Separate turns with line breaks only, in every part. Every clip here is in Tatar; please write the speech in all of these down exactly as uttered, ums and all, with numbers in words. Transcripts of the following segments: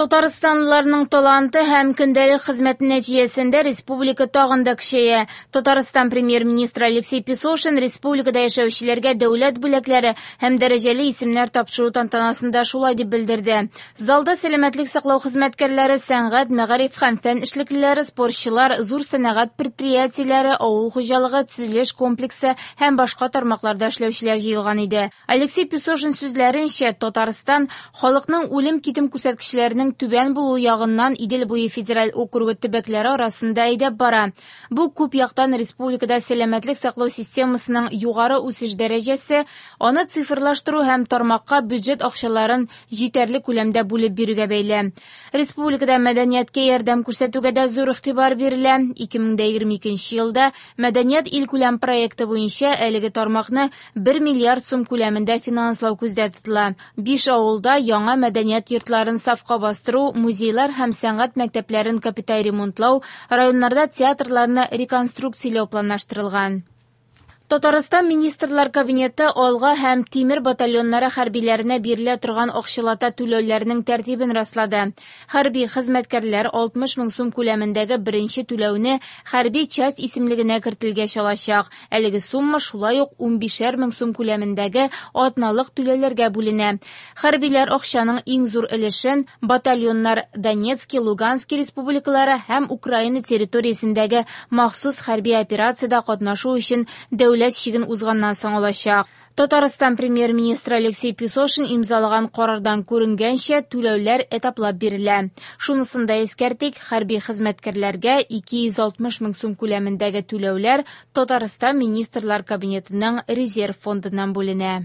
Татарстанлыларның таланты һәм көндәлек хезмәте нәтиҗәсендә республика тагын да көчәя. Татарстан премьер-министры Алексей Песошин республикада яшәүчеләргә дәүләт бүләкләре һәм дәрәҗәле исемнәр тапшыру тантанасында шулай дип белдерде. Залда сәламәтлек саклау хезмәткәрләре, сәнгать, мәгариф һәм фән эшлеклеләре, спортчылар, зур сәнәгать предприятиеләре, авыл хуҗалыгы, төзелеш комплексы һәм башка тармакларда эшләүчеләр җыелган иде. Алексей Песошин сүзләренчә, Татарстан халыкның үлем-китем күрсәткечләренең түбән булуы ягыннан Идел буе федераль округы төбәкләре арасында әйдәп бара. Бу күп яктан республикада сәламәтлек саклау системасының югары үсеш дәрәҗәсе, аны цифрлаштыру һәм тармакка бюджет акчаларын җитәрлек күләмдә бүлеп бирүгә бәйле. Республикада мәдәнияткә ярдәм күрсәтүгә дә зур игътибар бирелә. ике мең егерме икенче елда Мәдәният илкүләм проекты буенча әлеге тармакны бер миллиард сум күләмендә финанслау күздә тотыла. Биш авылда яңа мәдәният йортларын сафка бастыру, музейлар һәм сәнгать мәктәпләрен капиталь ремонтлау, районнарда театрларны реконструкцияләү планлаштырылган. Татарстан Министрлар Кабинеты Алга һәм Тимер батальоннары хәрбиләренә бирелә торган акчалата түләүләрнең тәртибен раслады. Хәрби хезмәткәрләр алтмыш мең сум күләмендәге беренче түләүне хәрби часть исемлегенә кертелгәч алачак. Әлеге сумма шулай ук унбишәр мең сум күләмендәге атналык түләүләргә бүленә. Хәрбиләр акчаның иң зур өлешен батальоннар Донецки, Лугански республикалары һәм Украина территориясендәге махсус хәрби операциядә катнашу өчен дәүләт чиген узганнан соң алачак. Татарстан премьер-министры Алексей Песошин имзалаган карардан күренгәнчә, түләүләр этаплап бирелә. Шунысын да искәртик, хәрби хезмәткәрләргә ике йөз алтмыш мең сум күләмендәге түләүләр Татарстан Министрлар Кабинетының резерв фондыннан бүленә.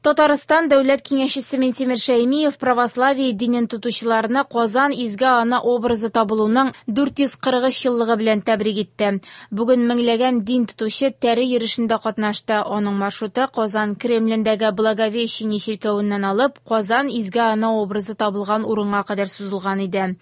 Татарстан Дәүләт Киңәшчесе Минтимер Шәймиев православие динен тотучыларны Казан Изге Ана образы табылуның дүрт йөз кырык өч еллыгы белән тәбрик итте. Бүген меңләгән дин тотучы тәре йөрешендә катнашты. Аның маршруты Казан Кремлендәге Благовещение чиркәвеннән алып Казан Изге Ана образы табылган урынга кадәр сузылган иде.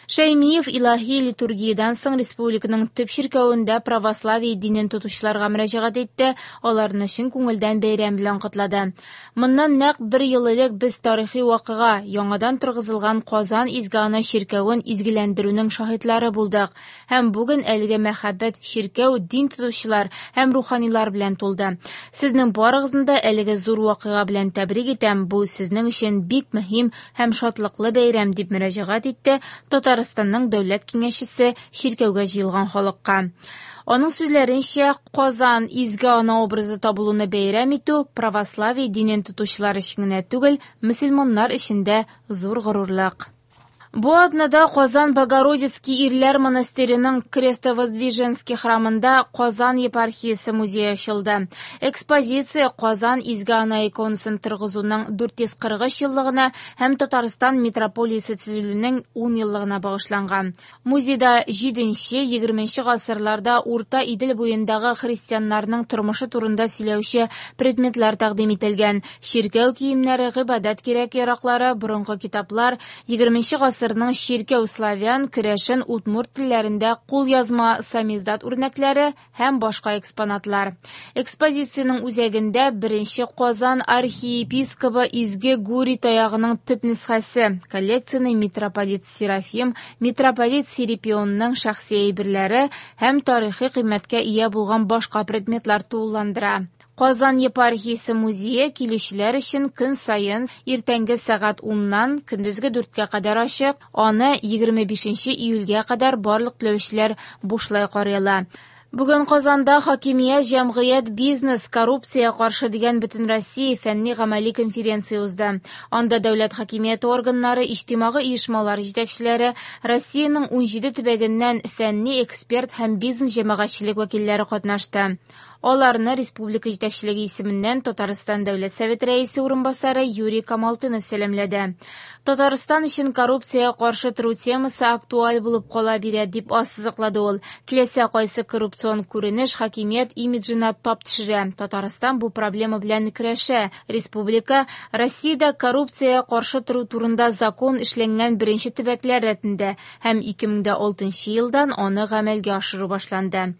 Шәймиев илаһи литургиядан соң республиканың төп чиркәвендә православие динен тотучыларга мөрәҗәгать итте, аларны чын күңелдән бәйрәм белән котлады. Моннан нәкъ бер ел элек без тарихи вакыйга, яңадан торгызылган Казан Изге Ана чиркәвен изгеләндерүнең шаһитлары булдык. Һәм бүген әлеге мәхәббәт чиркәү дин тотучылар һәм руханилар белән тулды. Сезнең барыгызны да әлеге зур вакыйга белән тәбрик итәм. Бу сезнең өчен бик мөһим һәм шатлыклы бәйрәм, дип мөрәҗәгать итте Татарстанның дәүләт киңәшчесе чиркәүгә җыелган халыкка. Аның сүзләренчә, Казан Изге Ана образы табылуны бәйрәм итү православие динен тотучылар өчен генә түгел, мөселманнар өчен дә зур горурлык. Бу атнада Казан Богородицкий ирләр монастыреның Крестовоздвиженский храмында Казан епархиясе музее ачылды. Экспозиция Казан Изге Ана иконасын торгызуның дүрт йөз кырык өч еллыгына һәм Татарстан митрополиясе төзелүенең ун еллыгына багышланган. Музейда җиденче, егерменче гасырларда Урта Идел буендагы христианнарның тормышы турында сөйләүче предметлар тәкъдим ителгән. Чиркәү киемнәре, гыйбадәт кирәк-яраклары, борынгы китаплар, егерменче гасырның чиркәү славян, керәшен, удмурт телләрендә кулъязма самиздат үрнәкләре һәм башка экспонатлар. Экспозициянең үзәгендә беренче Казан архиепискобы Изге Гурий таягының төп нөсхәсе, коллекцияне митрополит Серафим, митрополит Серапионның шәхси әйберләре һәм тарихи кыйммәткә ия булган башка предметлар тулыландыра. Казан епархиясе музее килүчеләр өчен көн саен иртәнге сәгать уннан көндезге дүрткә кадәр ачык, аны егерме бишенче июльгә кадәр барлык теләүчеләр бушлай карый ала. Бүген Казанда хакимият, җәмгыять, бизнес, коррупция каршы дигән Бөтенроссия фәнни гамәли конференция узды. Анда дәүләт хакимияте органнары, иҗтимагый оешмалар җитәкчеләре, Россиянең унҗиде төбәгеннән фәнни эксперт һәм бизнес җәмәгатьчелек вәкилләре катнашты. Аларны республика җитәкчелеге исеменнән Татарстан Дәүләт Советы рәисе урынбасары Юрий Камалтынов сәламләде. Татарстан өчен коррупциягә каршы тору темасы актуаль булып кала бирә, дип ассызыклады ул. Теләсә кайсы коррупцион күренеш хакимият имиджына тап төшерә. Татарстан бу проблема белән көрәшә. Республика Россиядә коррупциягә каршы тору турында закон эшләнгән беренче төбәкләр рәтендә һәм ике мең дә алтынчы елдан аны гамәлгә ашыру башланды.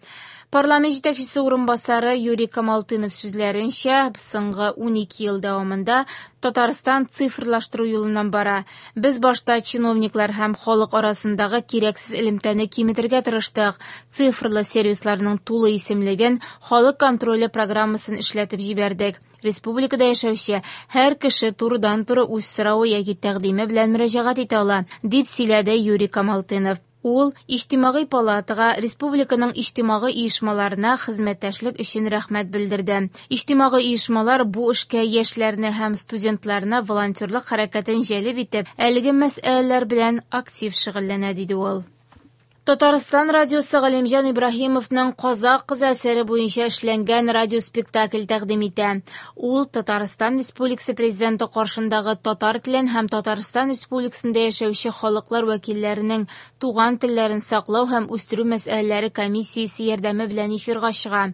Парламент җитәкчесе урынбасары Юрий Камалтынов сүзләренчә, соңгы унике ел дәвамында Татарстан цифрлаштыру юлыннан бара. Без башта чиновниклар һәм халык арасындагы кирәксез элемтәне киметергә тырыштык. Цифрлы сервисларның тулы исемлеген, халык контроле программасын эшләтеп җибәрдек. Республикада яшәүче һәр кеше турыдан-туры үз соравы яки тәкъдиме белән мөрәҗәгать итә ала, дип сөйләде Юрий Камалтынов. Ул Иҗтимагый палатага, республиканың иҗтимагый оешмаларына хезмәттәшлек өчен рәхмәт белдерде. Иҗтимагый оешмалар бу эшкә яшьләрне һәм студентларны волонтерлык хәрәкәтен җәлеп итеп, әлеге мәсьәләләр белән актив шөгыльләнә, диде ул. Татарстан радиосы Галимҗан Ибраһимовның «Казакъ кызы» әсәре буенча эшләнгән радиоспектакль тәкъдим итә. Ул Татарстан Республикасы Президенты каршындагы татар телен һәм Татарстан Республикасында яшәүче халыклар вәкилләренең туган телләрен саклау һәм үстерү мәсьәләләре комиссиясе ярдәме белән эфирга чыга.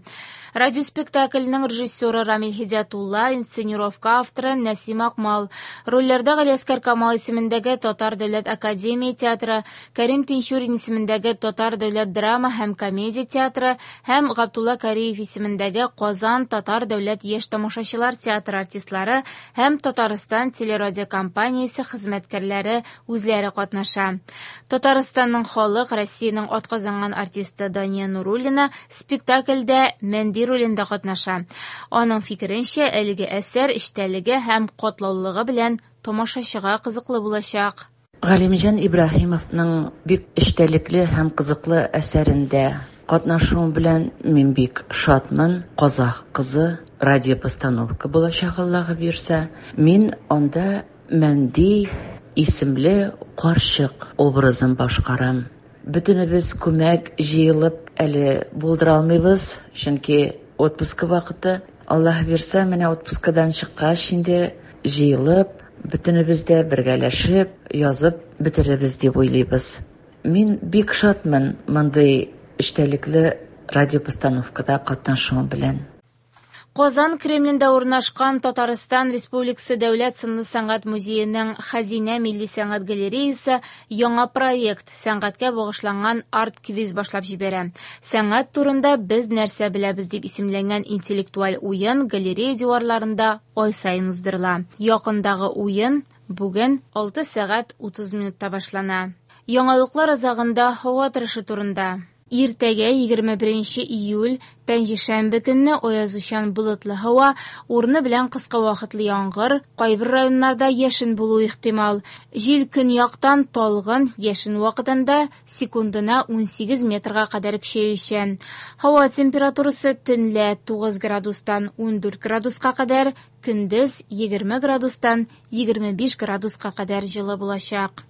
Радиоспектакльнең режиссеры Рамил Һидиятулла, инсценировка авторы Нәсим Акмал. Рольләрдә Галиәсгар Камал исемендәге Татар дәүләт академия театры, Кәрим Тинчурин исемендәге Татар дәүләт драма һәм комедия театры һәм Габдулла Кариев исемендәге Казан Татар дәүләт яшь тамашачылар театры артистлары һәм Татарстан телерадиокомпаниясе хезмәткәрләре үзләре катнаша. Татарстанның халык, Россиянең атказанган артисты Дания Нуруллина спектакльдә Мәнди ролендә катнаша. Аның фикеренчә, әлеге әсәр эчтәлеге һәм катлаулылыгы белән тамашачыга кызыклы булачак.
Галимҗан Ибраһимовның бик эчтәлекле һәм кызыклы әсәрендә катнашуым белән мин бик шатмын. Казакъ кызы радиопостановка булачак, Аллаһы бирсә. Мин анда Мәнди исемле карчык образын башкарам. Бөтенебез күмәк җыелып әле булдыра алмыйбыз, чөнки отпуска вакыты. Аллаһ бирсә, менә отпускадан чыккач инде җыелып, бөтенебез дә бергәләшеп, язып бетерербез дип уйлыйбыз. Мин бик шатмын мондый эчтәлекле радиопостановкада катнашуым белән.
Казан Кремлендә урнашкан Татарстан Республикасы Дәүләт сынлы сәнгать музееның Хәзинә милли сәнгать галереясы яңа проект сәнгатькә багышланган арт-квиз башлап җибәрә. Сәнгать турында без нәрсә беләбез дип исемләнгән интеллектуаль уен галерея диварларында ай саен уздырыла. Якындагы уен бүген алты сәгать утыз минутта башлана. Яңалыклар азагында һава торышы турында. Иртәгә егерме беренче июль пәнҗешәмбе көнне аязучан болытлы һава, урыны белән кыска вакытлы яңгыр, кайбер районнарда яшен булу ихтимал. Җил көньяктан талгын, яшен вакытында секундына унсигез метрга кадәр көчәючән. Һава температурасы төнлә тугыз градустан ундүрт градуска кадәр, көндез егерме градустан егерме биш градуска кадәр җылы булачак.